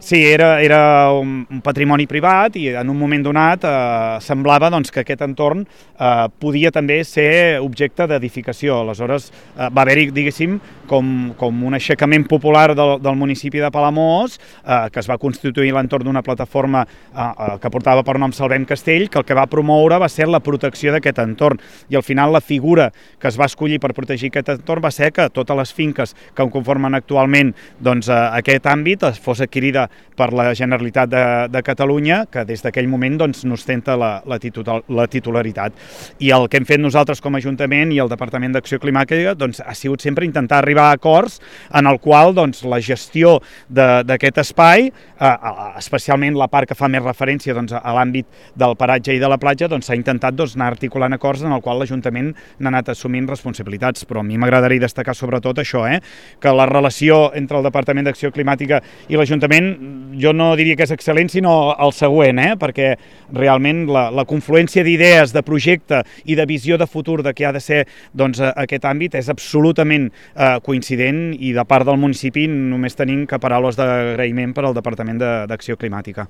Sí, era un patrimoni privat i en un moment donat semblava doncs, que aquest entorn podia també ser objecte d'edificació. Aleshores va haver-hi, diguéssim, com un aixecament popular del municipi de Palamós, que es va constituir a l'entorn d'una plataforma que portava per nom Salvem Castell, que el que va promoure va ser la protecció d'aquest entorn. I al final la figura que es va escollir per protegir aquest entorn va ser que totes les finques que conformen actualment doncs, aquest àmbit fos adquirida per la Generalitat de Catalunya, que des d'aquell moment doncs, n'ostenta la titularitat. I el que hem fet nosaltres com a Ajuntament i el Departament d'Acció Climàtica doncs, ha sigut sempre intentar arribar a acords en el qual doncs, la gestió d'aquest espai, especialment la part que fa més referència doncs, a l'àmbit del paratge i de la platja, doncs, s'ha intentat doncs, anar articulant acords en el qual l'Ajuntament n'ha anat assumint responsabilitats. Però a mi m'agradaria destacar sobretot això, que la relació entre el Departament d'Acció Climàtica i l'Ajuntament jo no diria que és excel·lent, sinó el següent, perquè realment la confluència d'idees, de projecte i de visió de futur de què ha de ser doncs, aquest àmbit és absolutament coincident i de part del municipi només tenim que paraules d'agraïment per al Departament d'Acció Climàtica.